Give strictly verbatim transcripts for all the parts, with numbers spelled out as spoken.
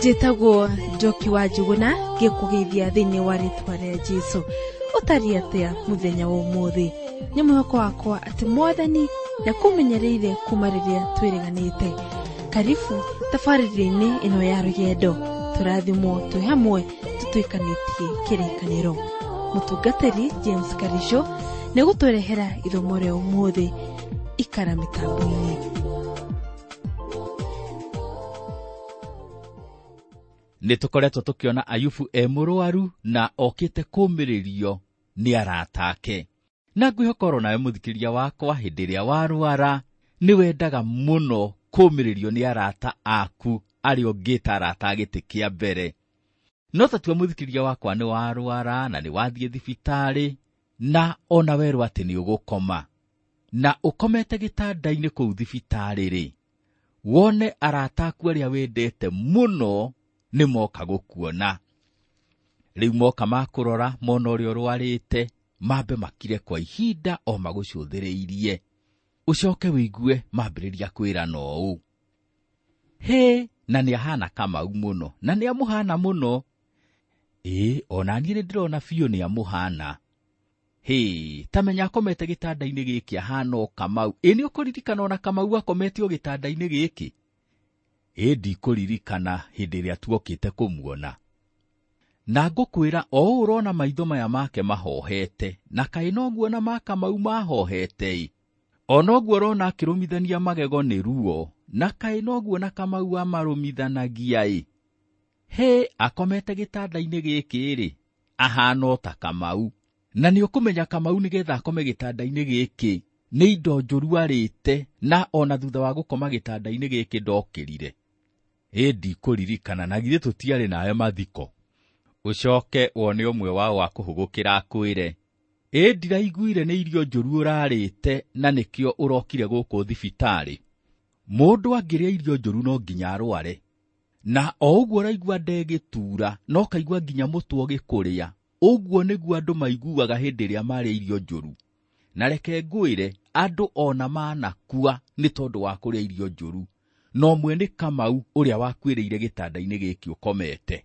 Njĩtagwo Njoki wa Njuguna, ngĩkũgeithia thĩinĩ wa rĩtwa rĩa Jesũ. Ũtariĩ atĩa mũthenya wa ũmũthĩ? Nĩ mwĩhoko wakwa atĩ Mwathani nĩakũmenyereire kuma rĩrĩa twĩrĩganĩte. Karibu tabarĩra-inĩ ĩno ya rũgendo, tũrathimwo twĩ hamwe tũtuĩkanĩtie kĩrĩkanĩro. Mũtungatĩri James Karisho nĩegũtũrehera ithomo rĩa ũmũthĩ. Ikara mĩtambo-inĩ. Nĩ tũkoretwo tũkĩona Ayubu e mũrwaru na okĩte kũũmĩrĩrio nĩ arata ake. Na ngwĩhoka oro nawe mũthikĩria wakwa, hĩndĩ ĩrĩa warwara nĩ wendaga mũno kũũmĩrĩrio nĩ arata aku arĩa ũngĩta arata a gĩtĩ kĩa mbere. No ta tua mũthikĩria wakwa nĩ warwara na nĩ wathiĩ thibitarĩ na ona werwo atĩ nĩ ũgũkoma na ũkomete gĩtanda-inĩ kũu thibitarĩ-rĩ, wone arata aku arĩa wendete mũno nĩ moka gũkuona. Rĩu moka makũrora mona ũrĩa ũrwarĩte, mambe makire kwa ihinda o magũcũthĩrĩirie. Ũcoke wĩigue mambĩrĩria kwĩrana ũũ, hĩ, na nĩ ahana Kamau mũno, na nĩ amũhana mũno. Ĩĩ, ona niĩ nĩ ndĩrona biũ nĩ amũhana. Hĩ, ta menya akomete gĩtanda-inĩ gĩkĩ ahana o Kamau. Ĩ, nĩ ũkũririkana ona Kamau akomete o gĩtanda-inĩ gĩkĩ? Ĩ, ndikũririkana hĩndĩ ĩrĩa tuokĩte kũmuona. Na ngũkwĩra o ũũ ũrona maitho maya make mahohete, na kaĩ noguo na ma Kamau mahohete-ĩ. O noguo ũrona akĩrũmithania magego nĩ ruo, na kaĩ noguo na Kamau amarũmithanagia-ĩ. Hĩ, akomete gĩtanda-inĩ gĩkĩ-rĩ, ahana o ta Kamau. Na nĩ ũkũmenya Kamau nĩgetha akome gĩtanda-inĩ gĩkĩ nĩ indo njũru arĩte, na ona thutha wa gũkoma gĩtanda-inĩ gĩkĩ ndokĩrire. Ĩ, ndikũririkana, na githĩ tũtiarĩ nawe mathiko. Ũcoke wone ũmwe wao akũhũgũkĩra akwĩre, ĩ, ndiraiguire nĩ irio njũru ũrarĩte na nĩkĩo ũrokire gũkũ thibitarĩ. Mũndũ angĩrĩa irio njũru no nginya arware. Na o ũguo ũraigua ndegĩtura, no kaigua nginya mũtwe ũgĩkũrĩa. Ũguo nĩguo andũ maiguaga hĩndĩ ĩrĩa marĩa irio njũru. Na reke ngwĩre, andũ ona manakua nĩ tondũ wa kũrĩa irio njũru. Na ũmwe nĩ Kamau ũrĩa wakuĩrĩire gĩtanda-inĩ gĩkĩ ũkomete.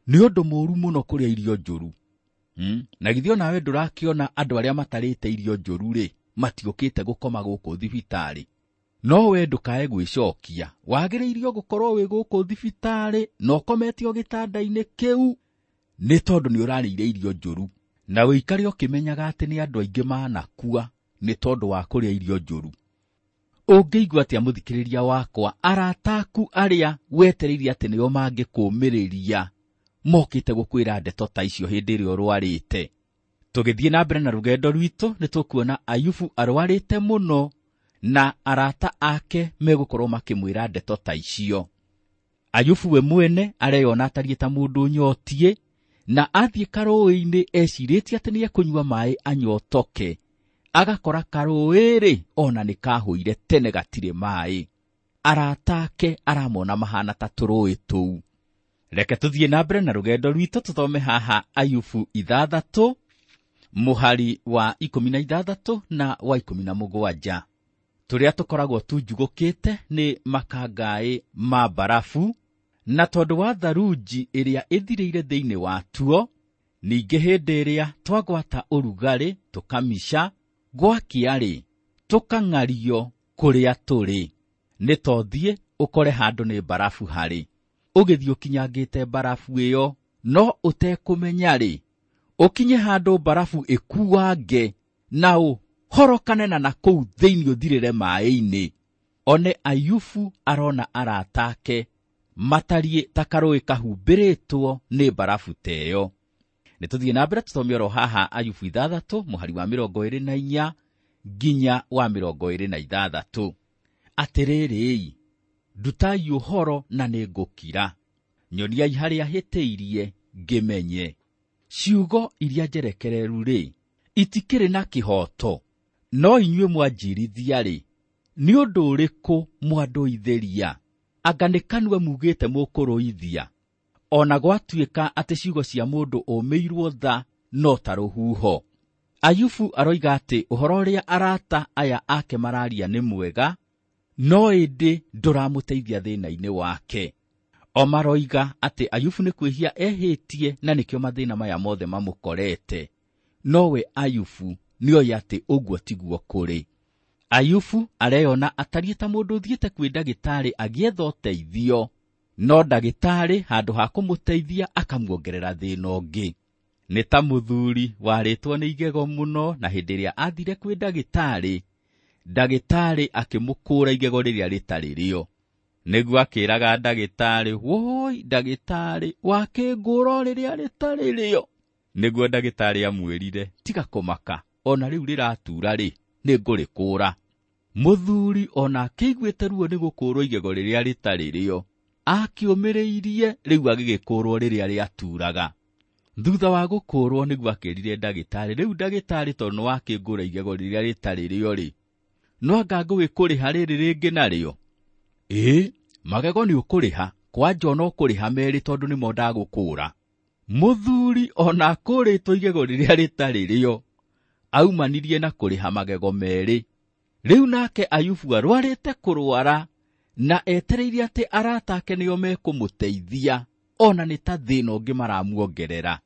Nĩ ũndũ mũũru mũno kũrĩa irio njũru. Hmm? Na githĩ onawe ndũrakĩona andũ arĩa matarĩte irio njũru-rĩ, matiũkĩte gũkoma gũkũ thibitarĩ. No we ndũkae gwĩcokia, wagĩrĩirio gũkorwo wĩ gũkũ thibitarĩ na ũkomete o gĩtanda-inĩ kĩu nĩ tondũ nĩ ũrarĩire irio njũru. Na ũikare ũkĩmenyaga atĩ nĩ andũ aingĩ manakua nĩ tondũ wa kũrĩa irio njũru. Ũngĩigua atĩa mũthikĩrĩria wakwa, arata aku arĩa wetereire atĩ nĩo mangĩkũũmĩrĩria mokĩte gũkwĩra ndeto ta icio hĩndĩ ĩrĩa ũrwarĩte? Tũgĩthiĩ na mbere na rũgendo rwitũ nĩ tũkuona Ayubu arwarĩte mũno na arata ake megũkorwo makĩmwĩra ndeto ta icio. Ayubu we mwene areyona atariĩ ta mũndũ ũnyotiĩ, na athiĩ karũĩ-inĩ ecirĩtie atĩ nĩekũnyua maĩ anyotoke. Agakora karũĩ-rĩ, ona nĩ kahũire tene gatirĩ maĩ. Arata ake aramona mahana ta tũrũĩ tũu. Reke tũthiĩ na mbere na rũgendo rwitũ tũthome haha Ayubu ithathatũ mũhari wa ikũmi na ithathatũ na wa ikũmi na mũgwanja. Tũrĩa tũkoragwo tunjugũkĩte nĩ makangaĩ ma barafu, na tondũ wa tharunji ĩrĩa ĩthirĩire thĩinĩ watuo, ningĩ hĩndĩ ĩrĩa twagwata ũrugarĩ tũkamica, gwakĩa-rĩ, tũkang'ario kũrĩa tũrĩ. Nĩ tothiĩ ũkore handũ nĩ barafu harĩ. Ũgĩthiĩ ũkinyangĩte barafu ĩyo, no ũtekũmenya-rĩ, ũkinye handũ barafu ĩkuange na ũhorokane na nakũu thĩinĩ ũthirĩre maĩ-inĩ. One Ayubu arona arata ake matariĩ ta karũĩ kahumbĩrĩtwo nĩ barafu ta ĩyo. Nĩ tũthiĩ na mbere tũthome oro haha Ayubu ithathatũ mũhari wa mĩrongo ĩrĩ na inya nginya wa mĩrongo ĩrĩ na ithathatũ. Atĩrĩrĩ-i, ndutai ũhoro na nĩngũkira, nyoniai harĩa hĩtĩirie ngĩmenye. Ciugo iria njerekereru-rĩ, itikĩrĩ na kĩhooto, no inyuĩ mwanjirithia-rĩ, nĩ ũndũ ũrĩkũ mwandũithĩria? Anga nĩ kanua mugĩte mũkũrũithia? Ona gwatuĩka atĩ ciugo cia mũndũ ũmĩirwo tha no ta rũhuho. Ayubu aroiga atĩ ũhoro ũrĩa arata aya ake mararia nĩ mwega, no ĩndĩ ndũramũteithia thĩna-inĩ wake. O maroiga atĩ Ayubu nĩ kwĩhia ehĩtie na nĩkĩo mathĩna maya mothe mamũkorete. Nowe Ayubu nĩoĩ atĩ ũguo tiguo kũrĩ. Ayubu areyona atariĩ ta mũndũ ũthiĩte kwĩ ndagĩtarĩ agĩetha ũteithio, no ndagĩtarĩ handũ ha kũmũteithia akamuongerera thĩna ũngĩ. Nĩ ta mũthuri warĩtwo nĩ igego mũno, na hĩndĩ ĩrĩa athire kwĩ ndagĩtarĩ, ndagĩtarĩ akĩmũkũra igego rĩrĩa rĩtarĩ rĩo. Nĩguo akĩraga ndagĩtarĩ, woi ndagĩtarĩ, wakĩngũra rĩrĩa rĩtarĩ rĩo. Nĩguo ndagĩtarĩ amwĩrire, tiga kũmaka, ona rĩu rĩratura rĩ, nĩngũrĩkũra. Mũthuri ona akĩiguĩte ruo nĩ gũkũrwo igego rĩrĩa rĩtarĩ rĩo, akĩũmĩrĩirie rĩu agĩgĩkũrwo rĩrĩa rĩaturaga. Thutha wa gũkũrwo nĩguo akĩrire ndagĩtarĩ, rĩu ndagĩtarĩ tondũ nĩwakĩngũra igego rĩrĩa rĩtarĩ rĩo rĩ, no anga ngũgĩkũrĩha rĩrĩ rĩngĩ narĩo? Ĩĩ, magego nĩ ũkũrĩha, kwanja ona ũkũrĩha merĩ tondũ nĩmo ndagũkũra. Mũthuri ona akũrĩtwo igego rĩrĩa rĩtarĩ rĩo, aumanirie na kũrĩha magego merĩ. Rĩu nake Ayubu arwarĩte kũrwara na etereire atĩ arata ake nĩo mekũmũteithia, ona nĩ ta thĩna ũngĩ maramuongerera.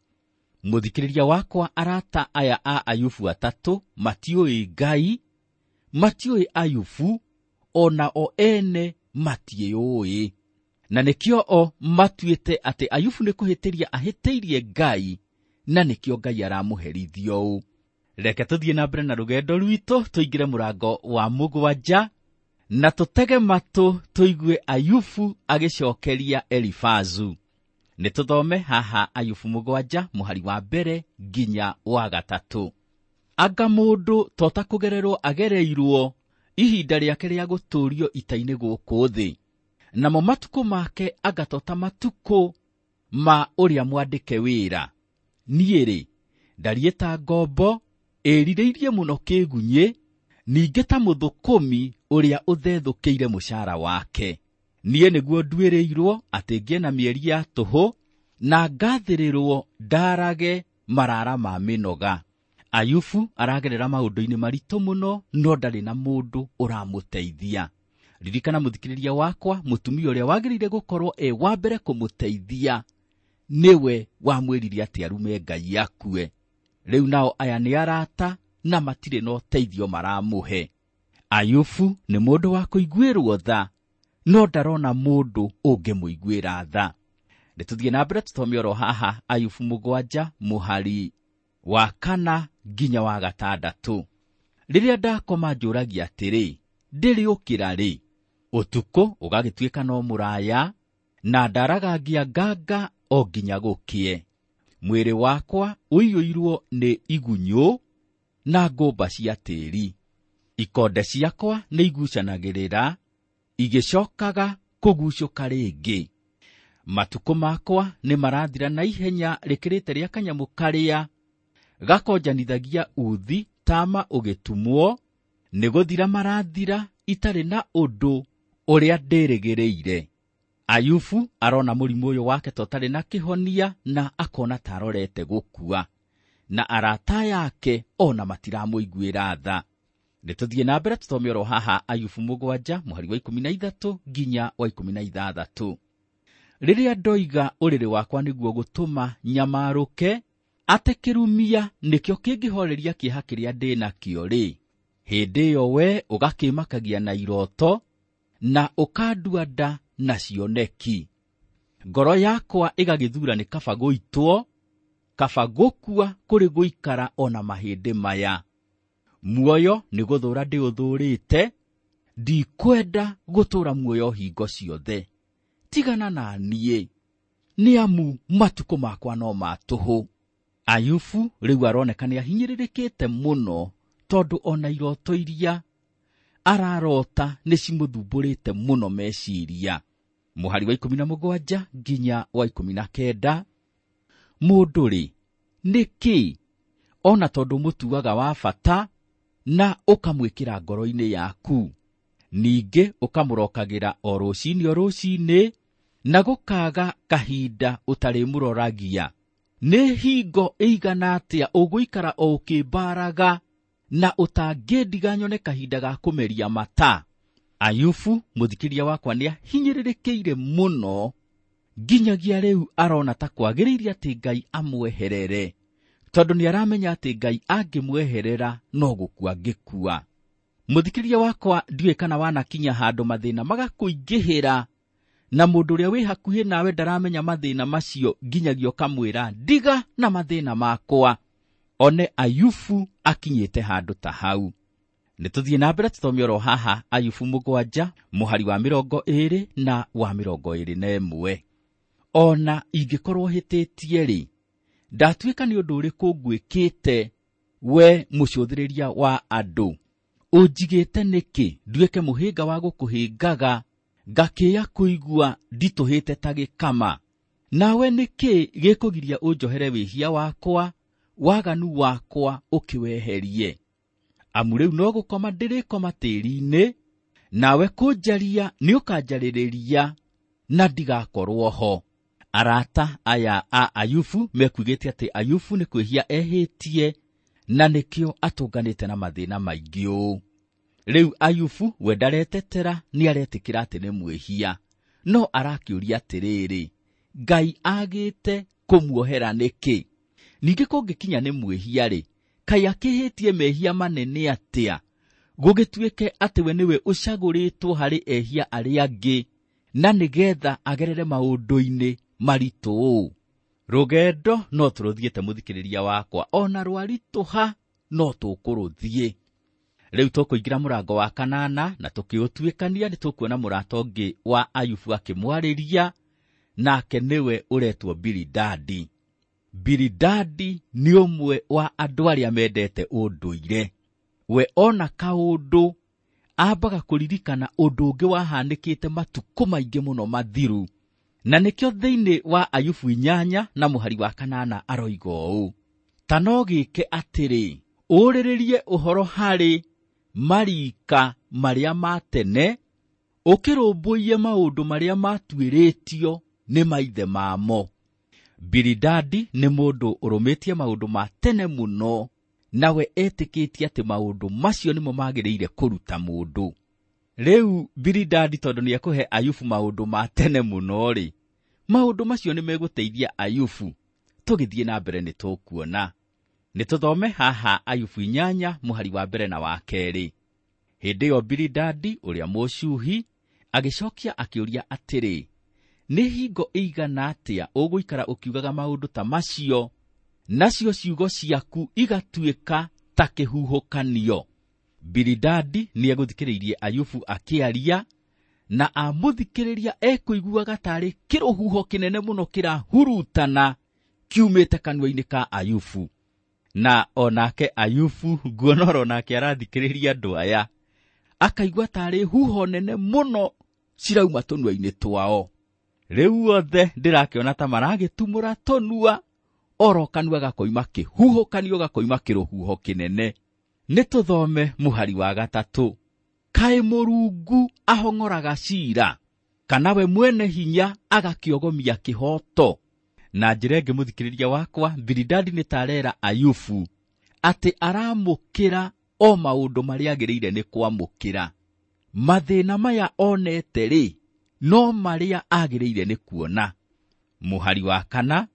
Mũthikĩrĩria wakwa, arata aya a Ayubu atatũ matiũĩ Ngai, matiũĩ Ayubu, ona o ene matiĩũĩ. Na nĩkĩo o matuĩte atĩ Ayubu nĩ kũhĩtĩria ahĩtĩirie Ngai, na nĩkĩo Ngai aramũherithia ũũ. Reke tũthiĩ na mbere na rũgendo rwitũ, tũingĩre mũrango wa mũgwanja na tũtege matũ tũigue Ayubu agĩcokeria Elifazu. Nĩ tũthome haha Ayubu mũgwanja mũhari wa mbere nginya wa gatatũ. Anga mũndũ tota kũgererwo agereirwo ihinda rĩake rĩa gũtũũrio ita-inĩ gũkũ thĩ, namo matukũ make anga tota matukũ ma ũrĩa mwandĩke wĩra. Niĩ rĩ, ndariĩ ta ngombo ĩrirĩirie mũno kĩgunyĩ, ningĩ ta mũthũkũmi ũrĩa ũthethũkĩire mũcara wake. Niĩ nĩguo nduĩrĩirwo atĩ ngĩe na mĩeri ya tũhũ, na ngathĩrĩrwo ndarage marara ma mĩnoga. Ayubu aragerera maũndũ-inĩ maritũ mũno, no ndarĩ na mũndũ ũramũteithia. Ririkana mũthikĩrĩria wakwa, mũtumia ũrĩa wagĩrĩire gũkorwo e wa mbere kũmũteithia nĩwe wamwĩrire atĩ arume Ngai akue. Rĩu nao aya nĩ arata na matirĩ na ũteithio maramũhe. Ayubu nĩ mũndũ wa kũiguĩrwo tha, no ndarona mũndũ ũngĩmũiguĩra tha. Nĩ tũthiĩ na mbere tũthome oro haha Ayubu mũgwanja mũhari wa kana nginya wa gatandatũ. Rĩrĩa ndakoma njũragia atĩrĩ, ndĩrĩũkĩra rĩ? Ũtukũ ũgagĩtuĩka no mũraya, na ndaraga ngĩanganga o nginya gũkĩe. Mwĩrĩ wakwa ũiyũirwo nĩ igunyũ na ngũmba cia tĩĩri. Ikonde ciakwa nĩ igucanagĩrĩra, igĩcokaga kũgucũka rĩngĩ. Matukũ makwa nĩ marathira na ihenya rĩkĩrĩte rĩa kanyamũ karĩa gakonjanithagia uthi tama ũgĩtumwo, nĩ gũthira marathira itarĩ na ũndũ ũrĩa ndĩrĩgĩrĩire. Ayubu arona mũrimũ ũyũ wake ta ũtarĩ na kĩhonia, na akona ta arorete gũkua, na arata yake ona matiramũiguĩra tha. Nĩ tũthiĩ na mbere tũthome oro haha Ayubu mũgwanja mũhari wa ikũmi na ithatũ nginya wa ikũmi na ithathatũ. Rĩrĩa ndoiga ũrĩrĩ wakwa nĩguo gũtũma nyamarũke, atĩ kĩrumia nĩkĩo kĩngĩhoreria kĩeha kĩrĩa ndĩ nakĩo rĩ, hĩndĩ ĩyo we ũgakĩmakagia na iroto, na ũkandua nda na cioneki. Ngoro yakwa ĩgagĩthura nĩ kaba gũitwo, kaba gũkua kũrĩ gũikara ona mahĩndĩ maya. Muoyo nĩ gũthũra ndĩũthũrĩte, ndikwenda gũtũũra muoyo hingo ciothe. Tigana na niĩ, nĩ amu matukũ makwa no ma tũhũ. Ayubu rĩu aroneka nĩ ahinyĩrĩrĩkĩte mũno, tondũ ona iroto iria ararota nĩ cimũthumbũrĩte mũno meciria. Mũhari wa ikũmi na mũgwanja nginya wa ikũmi na kenda. Mũndũ rĩ, nĩ kĩ ona tondũ mũtuaga wa bata na ũkamwĩkĩra ngoro-inĩ yaku, ningĩ ũkamũrokagĩra o rũcinĩ o rũcinĩ, na gũkaga kahinda ũtarĩmũroragia. Nĩ hingo ĩigana atĩa ũgũikara o ũkĩmbaraga na ũtangĩndiga nyone kahinda ga kũmeria mata? Ayubu mũthikĩria wakwa nĩ ahinyĩrĩrĩkĩire mũno Nginyagia rĩu arona ta kwagĩrĩire atĩ Ngai amweherere, tondũ nĩ aramenya atĩ Ngai angĩmweherera no gũkua angĩkua. Mũthikĩrĩria wakwa, ndiũĩ kana wanakinya handũ mathĩna magakũingĩhĩra na mũndũ ũrĩa wĩ hakuhĩ nawe ndaramenya mathĩna macio, nginyagia ũkamwĩra ndiga na mathĩna makwa. One Ayubu akinyĩte handũ ta hau. Nĩ tũthiĩ na mbere tũthome oro haha Ayubu mũgwanja mũhari wa mĩrongo ĩĩrĩ na wa mĩrongo ĩĩrĩ na ĩmwe. Ona ingĩkorwo hĩtĩtie rĩ, ndatuĩka nĩ ũndũ ũrĩkũ ngwĩkĩte we mũcũthĩrĩria wa andũ? Ũnjigĩte nĩkĩ nduĩke mũhĩnga wa gũkũhĩngaga, ngakĩĩa kũigua nditũhĩte ta gĩkama? Nawe nĩkĩ gĩkũgiria ũnjohere wĩhia wakwa, waganu wakwa ũkĩweherie? Amu rĩu no gũkoma ndĩrĩkoma tĩri-inĩ, nawe kũnjaria nĩũkanjarĩrĩria na ndigakorwo ho. Arata aya a Ayubu mekuigĩte atĩ Ayubu nĩ kwĩhia ehĩtie na nĩkĩo atũnganĩte na mathĩna maingĩ ũũ. Rĩu Ayubu we ndaretetera, nĩaretĩkĩra atĩ nĩ mwĩhia, no arakĩũria atĩrĩrĩ, Ngai agĩte kũmuohera nĩkĩ? Ningĩ kũngĩkinya nĩ mwĩhia rĩ, kaĩ akĩhĩtie mehia manene atĩa, gũgĩtuĩke atĩ we nĩwe ũcagũrĩtwo harĩ ehia arĩa angĩ, na nĩgetha agerere maũndũ-inĩ maritũ ũũ? Rũgendo no tũrũthiĩte mũthikĩrĩria wakwa, ona rwaritũha no tũkũrũthiĩ. Rĩu tũkũingĩra mũrango wa kanana na tũkĩũtuĩkania nĩ tũkuona mũrata ũngĩ wa Ayubu akĩmwarĩria, nake nĩwe ũretwo Bilidadi. Bilidadi nĩ ũmwe wa andũ arĩa mendete ũndũire. We ona kaũndũ ambaga kũririkana ũndũ ũngĩ wahanĩkĩte matukũ maingĩ mũno mathiru, na nĩkĩo thĩinĩ wa Ayubu inyanya na mũhari wa kanana aroiga ũũ: ta no gĩke atĩrĩ, ũrĩrĩrie ũhoro harĩ marika marĩa ma tene, ũkĩrũmbũiye maũndũ marĩa matuĩrĩtio nĩ maithe mamo. Bilidadi nĩ mũndũ ũrũmĩtie maũndũ ma tene mũno, nawe etĩkĩtie atĩ maũndũ macio nĩmo magĩrĩire kũruta mũndũ. Rĩu Bilidadi tondũ nĩekũhe Ayubu maũndũ ma tene mũno rĩ, maũndũ macio nĩ megũteithia Ayubu. Tũgĩthiĩ na mbere nĩ tũkuona. Nĩ tũthome haha Ayubu inyanya mũhari wa mbere na wa kerĩ. Hĩndĩ ĩyo Bilidadi ũrĩa Mũshuhi agĩcokia akĩũria atĩrĩ, nĩ hingo ĩigana atĩa ũgũikara ũkiugaga maũndũ ta macio, nacio ciugo ciaku igatuĩka ta kĩhuhũkanio? Bilidadi nĩegũthikĩrĩirie Ayubu akĩaria, na amũthikĩrĩria ekũiguaga tarĩ kĩrũhuho kĩnene mũno kĩrahurutana kiumĩte kanua-inĩ ka Ayubu. Na onake Ayubu nguona oro nake arathikĩrĩria andũ aya, akaigua tarĩ huho nene mũno cirauma tũnua-inĩ twao. Rĩu othe ndĩrakĩona ta maragĩtumũra tũnua, oro kanua gakoima kĩhuhũkanio gakoima kĩrũhuho kĩnene. Nĩ tũthome mũhari wa gatatũ. Kaĩ Mũrungu ahong'oraga ciira, kana we mwene hinya agakĩogomia kĩhoto? Na njĩra ĩngĩ mũthikĩrĩria wakwa, Bilidadi nĩ tarera Ayubu atĩ aramũkĩra o maũndũ marĩa agĩrĩire nĩ kwamũkĩra. Mathĩna maya onete rĩ, no marĩa agĩrĩire nĩ kuona. Mũhari wa kana,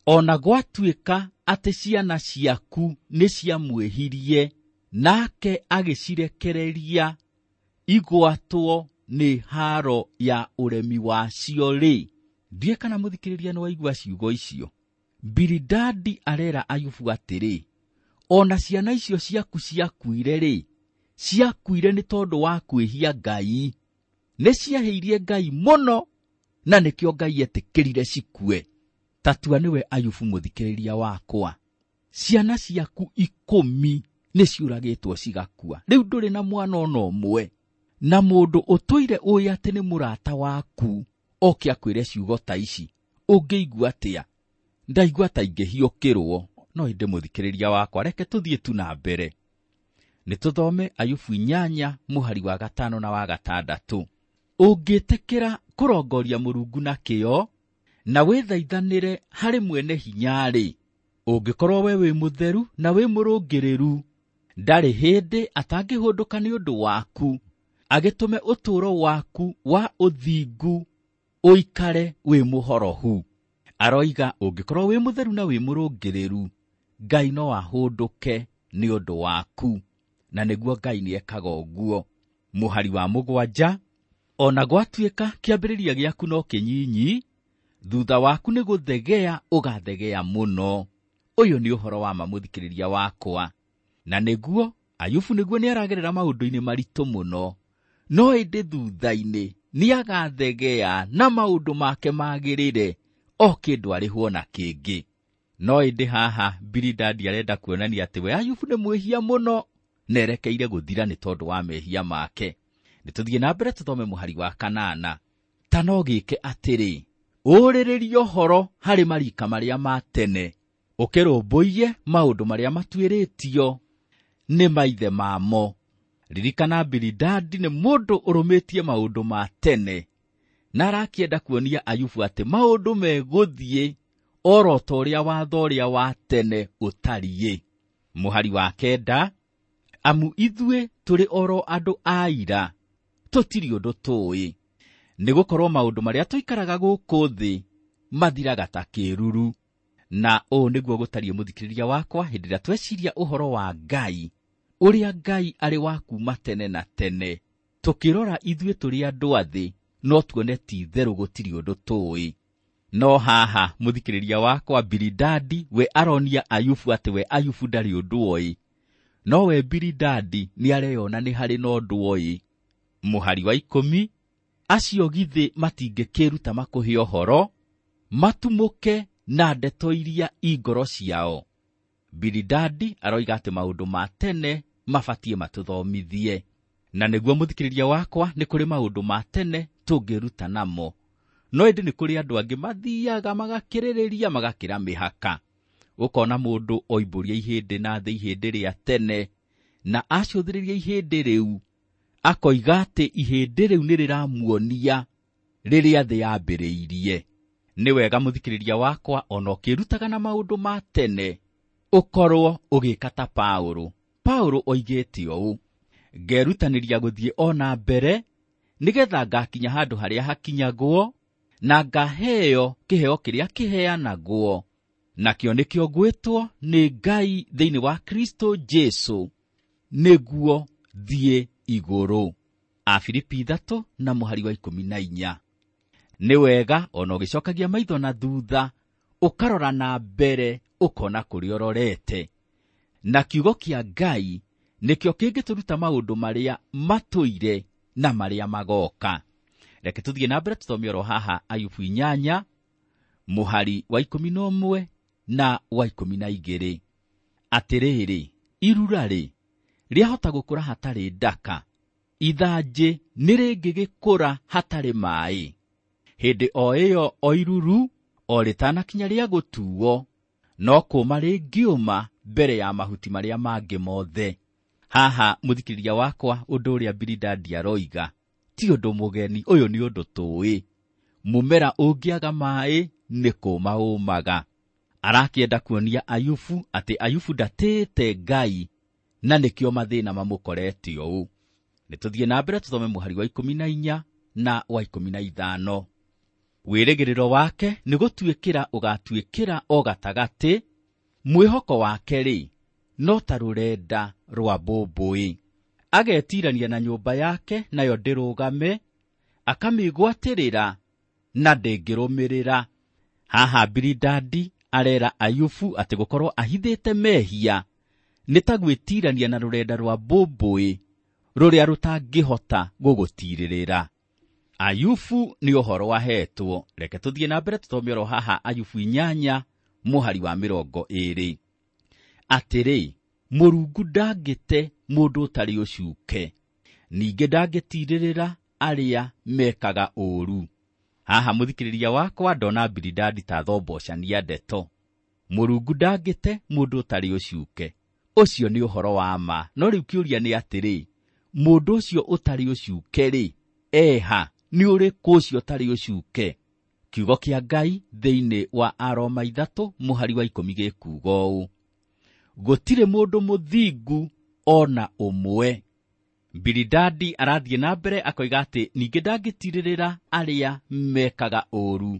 ona gwatuĩka atĩ ciana ciaku nĩ ciamwĩhirie, nake agĩcirekereria igwatwo nĩ haro ya ũremi wacio rĩ. Ndiũĩ kana mũthikĩrĩria nĩ waigua ciugo icio. Bilidadi arera Ayubu atĩrĩ, ona ciana icio ciaku ciakuire rĩ, ciakuire nĩ tondũ wa kwĩhia Ngai. Nĩ ciahĩirie Ngai mũno, na nĩkĩo Ngai etĩkĩrire cikue. Tatua nĩwe Ayubu mũthikĩrĩria wakwa, ciana ciaku ikũmi nĩ ciũragĩtwo cigakua. Rĩu ndũrĩ na mwana ona ũmwe, na mũndũ ũtũire ũĩ atĩ nĩ mũrata waku oke akwĩre ciugo ta ici, ũngĩigua atĩa? Ndaigua ta ingĩhiũkĩrwo. No ĩndĩ mũthikĩrĩria wakwa, reke tũthiĩ tu na mbere. Nĩ tũthome Ayubu inyanya mũhari wa gatano na wa gatandatũ. Ũngĩtĩkĩra kũrongoria Mũrungu na kĩyo, na wĩthaithanĩre harĩ mwene hinya-rĩ, ũngĩkorwo we wĩ mũtheru na wĩ mũrũngĩrĩru, ndarĩ hĩndĩ atangĩhũndũka nĩ ũndũ waku, agĩtũme ũtũũro waku wa ũthingu Ũikare wĩ mũhorohu. Aroiga ũngĩkorwo wĩ mũtheru na wĩ mũrũngĩrĩru, Ngai no ahũndũke nĩ ũndũ waku, na nĩguo Ngai nĩekaga ũguo. Mũhari wa mũgwanja, ona gwatuĩka kĩambĩrĩria gĩaku no kĩnyinyi, thutha waku nĩ gũthegea ũgathegea mũno. Ũyũ nĩ ũhoro wa ma mũthikĩrĩria wakwa, na nĩguo Ayubu nĩguo nĩaragerera maũndũ-inĩ maritũ mũno, no ĩndĩ thutha-inĩ nĩagathegea na maũndũ make magĩrĩre o kĩndũ arĩhwo na kĩngĩ. No ĩndĩ haha Bilidadi arenda kuonania atĩ we Ayubu nĩ mwĩhia mũno na erekeire gũthira nĩ tondũ wa mehia make. Nĩtũthiĩ na mbere tũthome mũhari wa kanana. Ta no gĩke atĩrĩ, ũrĩrĩrie ũhoro harĩ marika marĩa ma tene, ũkĩrũmbũiye maũndũ marĩa matuĩrĩtio nĩ maithe mamo. Ririkana Bilidadi nĩ mũndũ ũrũmĩtie maũndũ ma tene, na arakĩenda kuonia Ayubu atĩ maũndũ megũthiĩ oro ta ũrĩa watho ũrĩa wa tene ũtariĩ. Mũhari wa kenda, amu ithuĩ tũrĩ oro andũ a ira, tũtirĩ ũndũ tũĩ, nĩgũkorwo maũndũ marĩa tũikaraga gũkũ thĩ mathiraga ta kĩruru. Na ũũ nĩguo gũtariĩ mũthikĩrĩria wakwa hĩndĩ ĩrĩa tweciria ũhoro wa Ngai, ũrĩa Ngai arĩ wa kuuma tene na tene. Tũkĩrora ithuĩ tũrĩ andũ a thĩ, no tuone ti itherũ gũtirĩ ũndũ tũĩ. No haha mũthikĩrĩria wakwa Bilidadi we aronia Ayubu atĩ we Ayubu ndarĩ ũndũ oĩ, no we Bilidadi nĩareyona nĩ harĩ na ũndũ oĩ. Mũhari wa ikũmi, acio githĩ matingĩkĩruta makũhe ũhoro, matumũke na ndeto iria i ngoro ciao. Bilidadi aroiga atĩ maũndũ ma tene mabatiĩ matũthomithie, na nĩguo mũthikĩrĩria wakwa nĩ kũrĩ maũndũ ma tene tũngĩruta namo, no ĩndĩ nĩ kũrĩ andũ angĩ mathiaga magakĩrĩrĩria magakĩra mĩhaka. Ũkona mũndũ oimbũria ihĩndĩ na thĩ ihĩndĩ rĩa tene, na acũthĩrĩria ihĩndĩ rĩu akoiga atĩ ihĩndĩ rĩu nĩ rĩramuonia rĩrĩa thĩ yambĩrĩirie. Nĩ wega mũthikĩrĩria wakwa ona ũkĩrutaga na maũndũ ma tene ũkorwo ũgĩka ta Paũlũ. Paũlũ oigĩte ũũ, ngerutanĩria gũthiĩ o na mbere nĩgetha ngakinya handũ harĩa hakinyagwo na ngaheo kĩheo kĩrĩa kĩheanagwo, nakĩo nĩkĩo ngwĩtwo nĩ Ngai thĩinĩ wa Kristo Jesu nĩguo thiĩ igũrũ. Afilipi ithatũ na mũhari wa ikũmi na inya. Nĩ wega ona ũgĩcokagia maitho na thutha, ũkarora na mbere ũkona kũrĩa ũrorete. Na kiugo kĩa Ngai nĩkĩo kĩngĩtũruta maũndũ marĩa matũire na marĩa magoka. Reke tũthiĩ na mbere tũthome oro haha Ayubu inyanya mũhari wa ikũmi na ũmwe na wa ikũmi na igĩrĩ. Atĩrĩrĩ, irura-rĩ, rĩahota gũkũra hatarĩ ndaka, ithanjĩ nĩ rĩngĩgĩkũra hatarĩ maaĩ. Hĩndĩ o ĩyo o iruru o rĩtanakinya rĩa gũtuo, no kũma rĩngĩũma mbere ya mahuti marĩa mangĩ mothe. Haha mũthikĩrĩria wakwa, ũndũ ũrĩa Bilidadi aroiga ti ũndũ mũgeni, ũyũ nĩ ũndũ tũĩ. Mũmera ũngĩaga maaĩ nĩ kũma ũmaga. Arakĩenda kuonia Ayubu atĩ Ayubu ndatĩĩte Ngai na nĩkĩo mathĩna mamũkorete ũũ. Nĩtũthiĩ na mbere tũthome mũhari wa ikũmi na inya na wa ikũmi na ithano. Wĩrĩgĩrĩro wake nĩ gũtuĩkĩra ũgatuĩkĩra o gatagatĩ, mwĩhoko wake-rĩ no ta rũrenda rwa mbũmbũĩ. Agetirania na nyũmba yake nayo ndĩrũgame, akamĩgwatĩrĩra na ndĩngĩrũmĩrĩra. Haha Bilidadi arera Ayubu atĩ gũkorwo ahithĩte mehia nĩ ta gwĩtirania na rũrenda rwa mbũmbũĩ rũrĩa rũtangĩhota gũgũtirĩrĩra. Ayubu nĩ ũhoro ahetwo. Reke tũthiĩ na mbere tũthome oro haha Ayubu inyanya mũhari wa mĩrongo ĩĩrĩ. Atĩrĩ, Mũrungu ndangĩte mũndũ ũtarĩ ũcuke, ningĩ ndangĩtirĩrĩra arĩa mekaga ũũru. Haha mũthikĩrĩria wakwa ndona Bilidadi ta thombocania ndeto. Mũrungu ndangĩte mũndũ ũtarĩ ũcuke, ũcio nĩ ũhoro wa ma. No rĩu kĩũria nĩ atĩrĩ, mũndũ ũcio ũtarĩ ũcuke-rĩ, eha nĩ ũrĩkũ ũcio ũtarĩ ũcuke? Kiugo kĩa Ngai thĩinĩ wa Aroma ithatũ mũhari wa ikũmi gĩkuuga ũũ, gũtirĩ mũndũ mũthingu ona ũmwe. Bilidadi arathiĩ na mbere akoiga atĩ ningĩ ndangĩtirĩrĩra arĩa mekaga ũũru,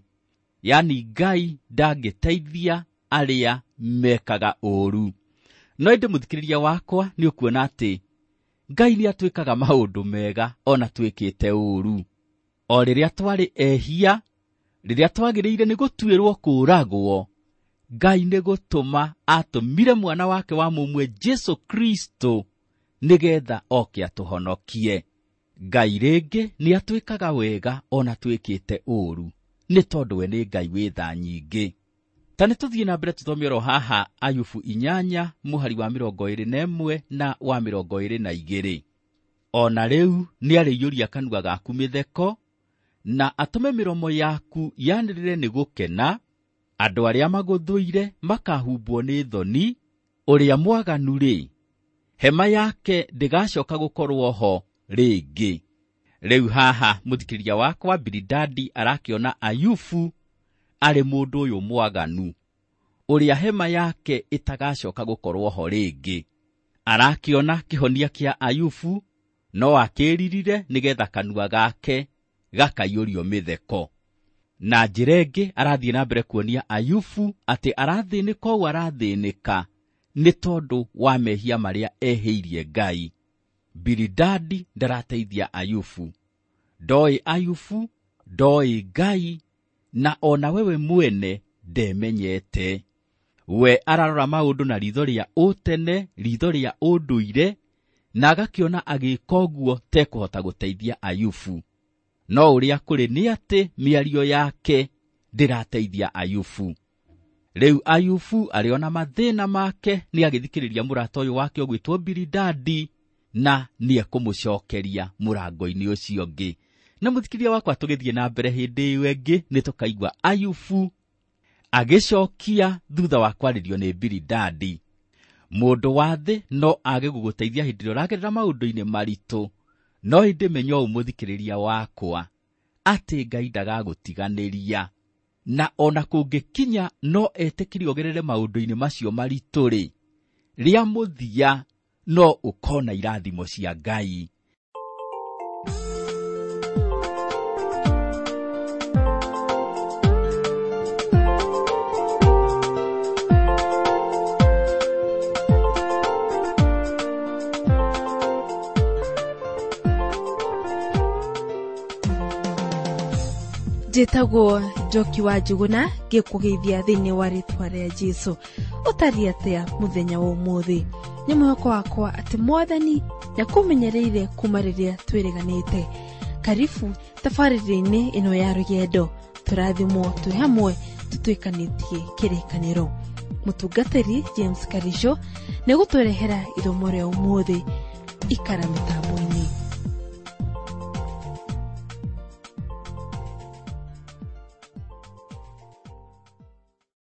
yaani Ngai ndangĩteithia arĩa mekaga ũũru. No ĩndĩ mũthikĩrĩria wakwa, nĩ ũkuona atĩ Ngai nĩ atwĩkaga maũndũ mega ona twĩkĩte ũũru. O rĩrĩa twarĩ ehia, rĩrĩa twagĩrĩire nĩ gũtuĩrwo kũũragwo, Ngai nĩ gũtũma atũmire mwana wake wa mũmwe Jesu Kristo nĩgetha oke atũhonokie. Ngai rĩngĩ nĩ atwĩkaga wega ona twĩkĩte ũũru, nĩ tondũ we nĩ Ngai wĩ tha nyingĩ. Ta nĩ tũthiĩ na mbere tũthome oro haha Ayubu inyanya mũhari wa mĩrongo ĩrĩ na ĩmwe na wa mĩrongo ĩrĩ na igĩrĩ. Ona rĩu nĩarĩiyũria kanua gaku mĩtheko, na atũme mĩromo yaku yanĩrĩre nĩ gũkena. Andũ arĩa magũthũire makahumbwo nĩ thoni, ũrĩa mwaganu-rĩ, hema yake ndĩgacoka gũkorwo ho rĩngĩ. Rĩu haha mũthikĩrĩria wakwa, Bilidadi arakĩona Ayubu arĩ mũndũ ũyũ mwaganu, ũrĩa hema yake ĩtagacoka gũkorwo ho rĩngĩ. Arakĩona kĩhonia kĩa Ayubu, no akĩririre nĩgetha kanua gake gakaiyũrio mĩtheko. Na njĩra ĩngĩ arathiĩ na mbere kuonia Ayubu atĩ arathĩnĩka ũũ arathĩnĩka nĩ tondũ wa mehia marĩa ehĩirie Ngai. Bilidadi ndarateithia Ayubu, ndoĩ Ayubu, ndoĩ Ngai, na ona wewe mwene ndemenyete. We ararora maũndũ na ritho rĩa ũtene, ritho rĩa ũndũire, na agakĩona agĩka ũguo tekũhota gũteithia Ayubu. No ũrĩa kũrĩ nĩ atĩ mĩario yake ndĩrateithia Ayubu. Rĩu Ayubu arĩona mathĩna make nĩ agĩthikĩrĩria mũrata ũyũ wake ũgwĩtwo Bilidadi, na nĩekũmũcokeria mũrango-inĩ ũcio ũngĩ. Na mũthikĩrĩria wakwa, tũgĩthiĩ na mbere hĩndĩ ĩyo ĩngĩ nĩ tũkaigua Ayubu agĩcokia thutha wa kwarĩrio nĩ Bilidadi. Mũndũ wa thĩ no age gũgũteithia hĩndĩ ĩrĩa ũragerera maũndũ-inĩ maritũ, no ĩndĩ menya ũũ mũthikĩrĩria wakwa, atĩ Ngai ndagagũtiganĩria, na ona kũngĩkinya no etĩkĩre ũgerere maũndũ-inĩ macio maritũ-rĩ, rĩa mũthia no ũkona irathimo cia Ngai. Njĩtagwo Njoki wa Njuguna, ngĩkũgeithia thĩinĩ wa rĩtwa rĩa Jesũ. Ũtariĩ atĩa mũthenya wa ũmũthĩ? Nĩ mwĩhoko wakwa atĩ Mwathani nĩakũmenyereire kuma rĩrĩa twĩrĩganĩte. Karibu tabarĩra-inĩ ĩno ya rũgendo, tũrathimwo twĩ hamwe tũtuĩkanĩtie kĩrĩkanĩro. Mũtungatĩri James Karisho nĩegũtũrehera ithomo rĩa ũmũthĩ. Ikara mĩtambo-inĩ.